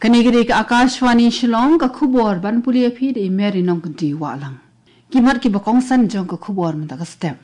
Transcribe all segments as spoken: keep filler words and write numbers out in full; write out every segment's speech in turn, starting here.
Kane ka dei ka Akashvani Shillong, ka khubor ban pule ïa phi da i Mary Nongkynti Wahlang. Ki mat kiba kongsan jong ka khubor mynta ka step.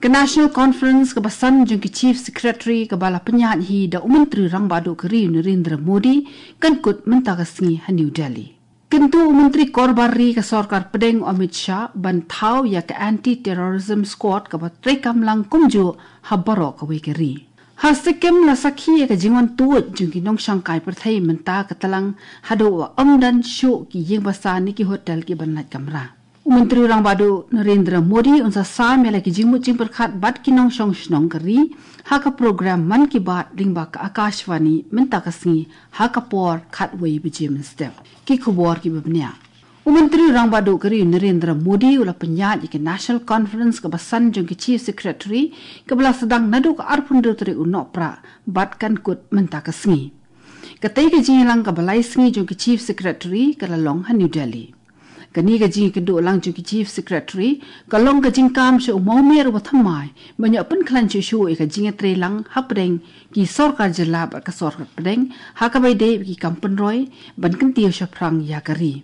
Ka National Conference kaba san jong ki Chief Secretary kaba la pynïaid hi da u Myntri Rangbah Duh ka ri u Narendra Modi kan kut mynta ka sngi ha New Delhi. Kyntu u Myntri Korbar Ri ka Sorkar Pdeng u Amit Shah ban thaw ïa ka Anti-Terrorism Squad kaba treikam lang kumjuh ha baroh kawei ka ri. Ha Sikkim la sakhi ïa ka jingwan tuid jong ki nongshong kai pyrthei mynta ka tlang haduh ba ym don shuh ki ïing basa ne ki hotel kiban lait kamra. U Myntri Rangbah Duh Narendra Modi un sa sam ïa la ki jingmut jingpyrkhat bad ki nongshong shnong ka ri ha ka program Mann Ki Baat lyngba ka Akashvani mynta ka sngi ha ka por khatwei baje mynstep. Ki khubor kiba bniah. U Myntri Rangbah Duh ka ri u Narendra Modi u la pynïaid ïa ka National Conference kaba san jong ki Chief Secretary kaba la sdang naduh ka arphew hynriew tarik u Nohprah bad kan kut mynta ka sngi. Katei ka jingïalang kaba lai sngi jong ki Chief Secretary ka la long ha New Delhi. Kane ka jingïakynduh lang jong ki Chief Secretary ka long ka jingkam sha u mawmer uba thymmai ban ïoh pynkhlaiñ shuh shuh ïa ka jingïatreilang hapdeng ki sorkar jylla bad ka sorkar pdeng ha kaba ïadei bad ki kam pynroi ban kyntiew shaphrang ïa ka ri.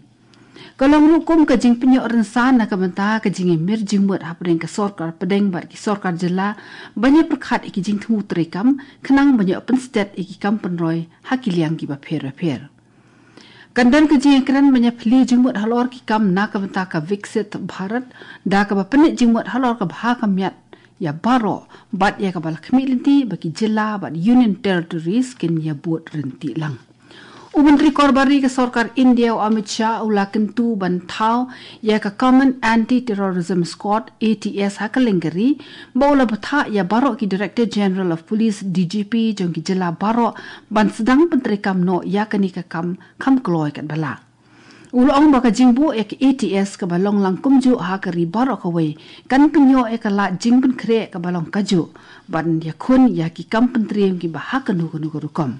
Ka long ruh kum ka jingpynïoh rynsan na ka bynta ka jingïamir jingmut hapdeng ka sorkar pdeng bad ki sorkar jylla ban ïapyrkhat ïa ki jingthmu treikam khnang ban ïoh pynstet ïa ki kam pynroi ha ki liang kiba pher ba pher. Kan don ka jingïakren ban ïaphylliew jingmut halor ki kam na ka bynta ka Viksit Bharat da kaba pynleit jingmut halor ka bha ka miat ïa baroh bad ïa kaba la khmih lynti ba ki jylla bad Union Territories kin ïabud ryntih lang. U Myntri Korbar Ri ka Sorkar India u Amit Shah u la kyntu ban thaw ïa ka Common Anti-Terrorism Squad, A T S, ha kylleng ka ri, ba u la bthah ïa baroh ki Director General of Police, D G P, jong ki jylla baroh ban sdang pyntreikam noh ïa kane ka kam kham kloi katba lah. U la ong ba ka jingbuh ïa ka A T S kaba long lang kumjuh ha ka ri baroh kawei kan pynïoh ïa ka lad jingpynkhreh kaba long kajuh ban ïakhun ïa ki kam pyntriem kiba ha kano kano ka rukom.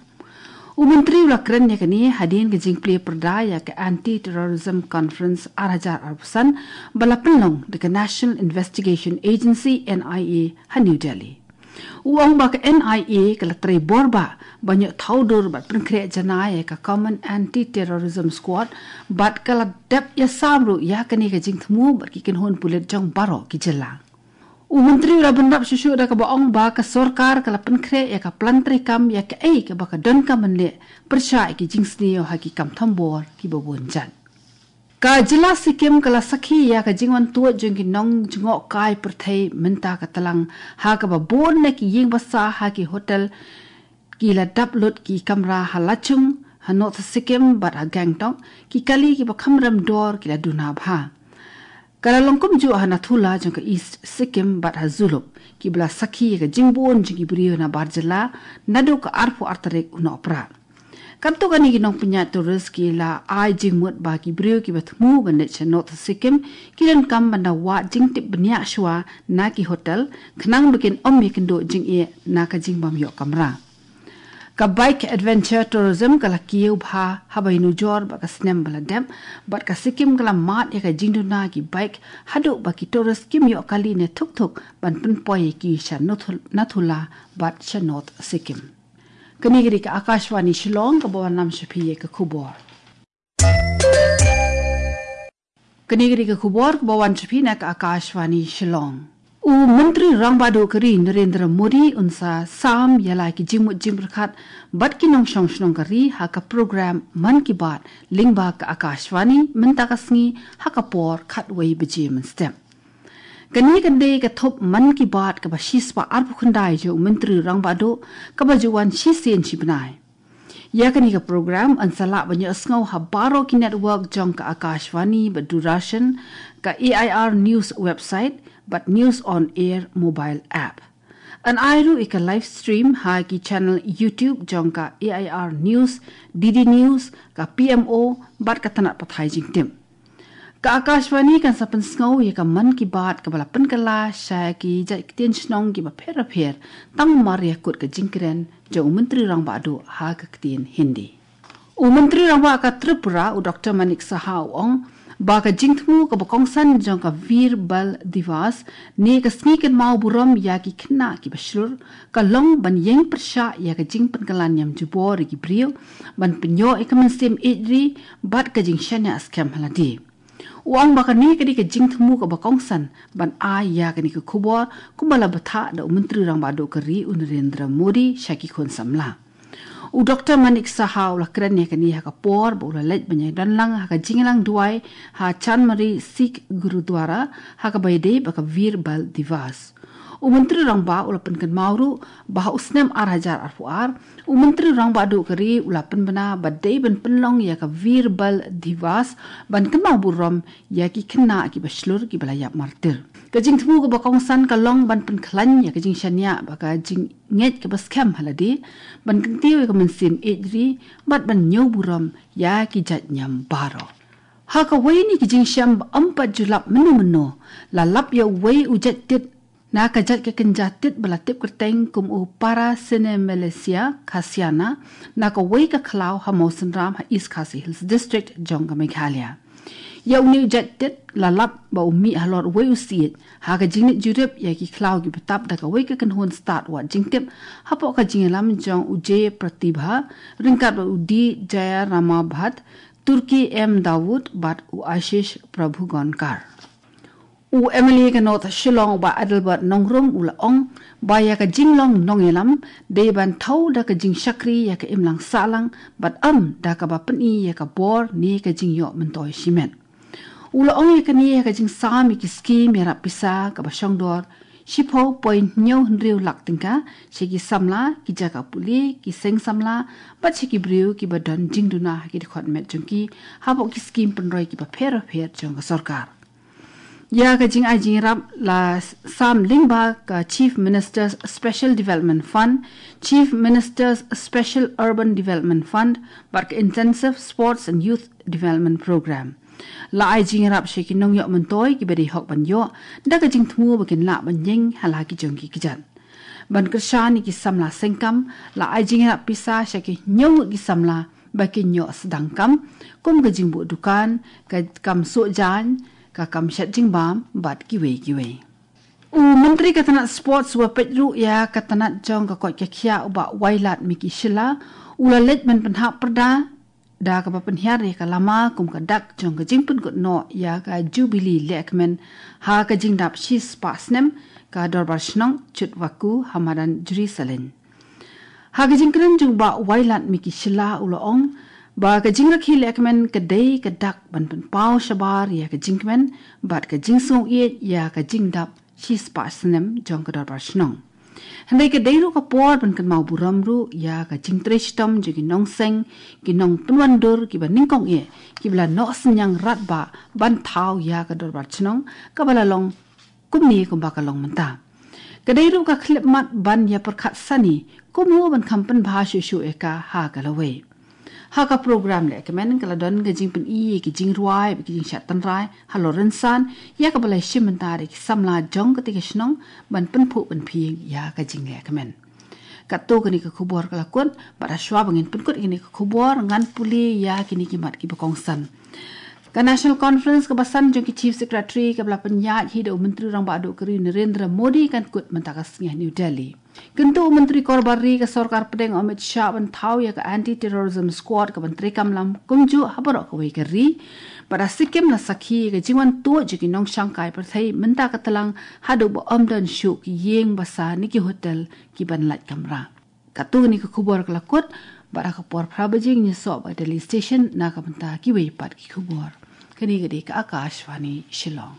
U Myntri u la kren ïa kane hadien ka jingplie pyrda ïa ka Anti-Terrorism Conference ar hajar arphew san ba la pynlong da ka National Investigation Agency, N I A, ha New Delhi. U ong ba ka N I A ka la trei bor ba ban ïoh thaw dur bad pynkhreh janai ïa ka Common Anti-Terrorism Squad bad ka la dep ïasam ruh ïa kane ka jingthmu bad ki kynhun pulit jong baroh ki jylla. U Myntri u la bynrap shuh shuh da kaba ong ba ka sorkar ka la pynkhreh ïa ka plan treikam ïa kaei kaba ka donkam ban leh pyrshah ïa ki jingsniew ha ki kam thombor kiba bun jait. Ka jylla Sikkim ka la sakhi ïa ka jingwan tuid jong ki nongjngohkai pyrthei mynta ka tlang ha kaba bun na ki ïing basa ha ki hotel ki la dap lut ki kamra ha Lachung ha North Sikkim bad ha Gangtok, ki kali kiba kham rem dor ki la duna bha. Ka la long kumjuh ha Nathula jong ka East Sikkim bad ha Zulup kiba la sakhi ïa ka jingbun jong ki briew na bar jylla naduh ka arphew ar tarik u Nohprah. Katto katne ki nongpynïaid tourist ki la ai jingmut ba ki briew kiba thmu ban leit sha North Sikkim ki donkam ban da wad jingtip bniah shuwa na ki hotel khnang ba kin ym ïakynduh jingeh na ka jingbym ïoh kamra. Ka bike adventure tourism ka la kiew bha haba ïanujor bad ka snem ba la dep bad ka Sikkim ka la mad ïa ka jingduna ki bike haduh ba ki tourist kim ïoh kali ne thuk thuk ban pynpoi ïa ki sha Nathul-, Nathula bad sha North Sikkim. Kane ka dei ka Akashvani Shillong kaba wanlam sha phi ïa ka khubor. Kane ka dei ka khubor kaba wan sha phi na ka Akashvani Shillong. U Myntri Rangbah Duh ka ri Narendra Modi un sa sam ïa la ki jingmut jingpyrkhat bad ki nongshong shnong ka ri ha ka program Mann Ki Baat lyngba ka Akashvani mynta ka sngi ha ka por khatwei baje mynstep. Kane ka dei ka thup Mann Ki Baat kaba shispah arphew khyndai jong u Myntri Rangbah Duh kaba ju wan shisien shi bnai. Ïa kane ka program yn sa lah ban ïohsngew ha baroh ki network jong ka Akashvani bad Doordarshan, ka A I R News website bad News on Air mobile app. Yn ai ruh ïa ka live stream ha ki channel YouTube jong ka A I R News, D D News, ka P M O bad ka Tnat Pathai Jingtip. Ka Akashvani kan sa pynsngew ïa ka Mann Ki Baat kaba la pynkylla sha ki jait ktien shnong kiba pher ba pher tang mar ïa kut ka jingkren jong u Myntri Rangbah Duh ha ka ktien Hindi. U Myntri Rangbah ka Tripura u Doctor Manik Saha u ong ba ka jingthmu kaba kongsan jong ka Veer Bal Diwas ne ka sngi kynmaw burom ïa ki khynnah kiba shlur ka long ban ïeng pyrshah ïa ka jingpynkylla niam jubor ïa ki briew, ban pynïoh ïa ka mynsiem ïeit ri bad ka jingshaniah skhem ha lade. U ong ba kane ka dei ka jingthmu kaba kongsan ban ai ïa kane ka khubor, kumba la bthah da u Myntri Rangbah Duh ka ri u Narendra Modi sha ki khun samla. U Doktor Manik Saha u la kren ïa kane ha ka por ba u la leit ban ïadon lang ha ka jingïalang duwai ha Chanmari Sikh Gurudwara ha kaba ïadei bad ka Veer Bal Diwas. U Myntri Rangbah u la pynkynmaw ruh ba ha u snem ar hajar arphew ar, u Myntri Rangbah Duh ka ri u la pynbna ba dei ban pynlong ïa ka Veer Bal Diwas ban kynmaw burom ïa ki khynnah kiba shlur kiba la ïap martir. Ka jingthmu kaba kongsan ka long ban pynkhlaiñ ïa ka jingshaniah bad ka jingngeit kaba skhem ha lade, ban kyntiew ïa ka mynsiem ïeit ri bad ban ñiew burom ïa ki jait niam baroh. Ha kawei na ki jingshem ba ym pat ju lap mynno mynno, la lap ïa uwei u jait tit na ka jait ka kynja tit ba la tip kyrteng kum u Paracinemelia khasiana na kawei ka khlaw ha Mawsynram ha East Khasi Hills District jong ka Meghalaya. Ïa une u jait tit la lap ba u mih halor uwei u siej ha ka jingleit jurip ïa ki khlaw kiba tap da kawei ka kynhun stad wad jingtip hapoh ka jingïalam jong u J Pratibha ryngkat bad u D Jayarama Bhatt, Turki M Dawood bad u Ashish Prabhugonkar. U M L A ka North Shillong u Bah Adelbert Nongrum u la ong ba ïa ka jinglong nongïalam dei ban thew da ka jingshakri ïa ka imlang sahlang bad ym da kaba pyni ïa ka bor ne ka jingïoh myntoi shimet. U la ong ïa kane ha ka jingsam ïa ki skim ïarap pisa kaba shongdor shiphew point hynñiew hynriew lak tyngka sha ki samla, ki jaka pule, ki seng samla bad sha ki briew kiba don jingduna ha ki dkhot met jong ki hapoh ki skim pynroi kiba pher bapher jong ka sorkar. Ïa ka jingai jingïarap la sam lyngba ka Chief Minister's Special Development Fund, Chief Minister's Special Urban Development Fund bad ka Intensive Sports and Youth Development Programme. La ai jingïarap sha ki nongïoh myntoi kiba dei hok ban ïoh da ka jingthmu ba kin lah ban ïeng ha la ki jong ki kjat. Ban kyrshan ïa ki samla sengkam, la ai jingïarap pisa sha ki hynñiew ngut ki samla ba kin ïoh sdang kam, kum ka jingbuh dukan, ka kam suh jaiñ, ka kam shet jingbam bad kiwei kiwei. U Myntri ka tnat Sports u la peit ruh ïa ka tnat jong ka koit ka khiah u Bah Wailadmiki Shylla u la leit ban pynhap pyrda da kaba pynhiar ïa ka lama kum ka dak jong ka jingpynkut noh ïa ka Jubilee Lehkmen ha ka jingdap shispah snem ka Dorbar Shnong Chutwakhu ha madan Jrisalin. Ha ka jingkren jong u Bah Wailadmiki Shylla u la ong ba ka jingrakhe lehkmen ka dei ka dak ban pynpaw shabar ïa ka jingkmen bad ka jingsngewsih ïa ka jingdap shispah snem jong ka Dorbar Shnong. Hynrei ka dei ruh ka por ban kynmaw burom ruh ïa ka jingtrei shitom jong ki nongseng, ki nongpynwandur kiba nyngkong eh kiba la noh synñiang radbah ban thaw ïa ka Dorbar Shnong kaba la long kumne kumba ka long mynta. Ka dei ruh ka khyllipmat ban ïa pyrkhat sani kumno ban kham pynbha shuh shuh ïa ka ha ka lawei. Ha ka program lehkmen ka la don ka jingpyni ïa ki jingrwai bad ki jingshad tynrai halor rynsan ïa kaba la shim bynta da ki samla jong katei ka shnong ban pynphuh pynphieng ïa ka jinglehkmen. Katto katne ka khubor ka la kut bad hashwa ba ngin pynkut ïa kane ka khubor ngan pule ïa kine ki mat kiba kongsan. Ka National Conference kaba san jong ki Chief Secretary kaba la pynïaid hi da u Myntri Rangbah Duh ka ri Narendra Modi kan kut mynta ka sngi ha New Delhi. Kyntu u Myntri Korbar Ri ka Sorkar Pdeng Amit Shah ban thaw ïa ka Anti Terrorism Squad kaban treikam lang kumjuh ha baroh kawei ka ri. Bad ha Sikkim la sakhi ïa ka jingwan tuid jong ki nongshangkai pyrthei mynta ka tlang haduh ba ym don shuh ki ïing basa ne ki hotel kiban lait kamra. Katto katne ka khubor ka la kut bad ha ka por phra baje ngin ïasoh bad Delhi Station na ka bynta kiwei pat ki khubor. Kane ka dei ka Akashvani Shillong.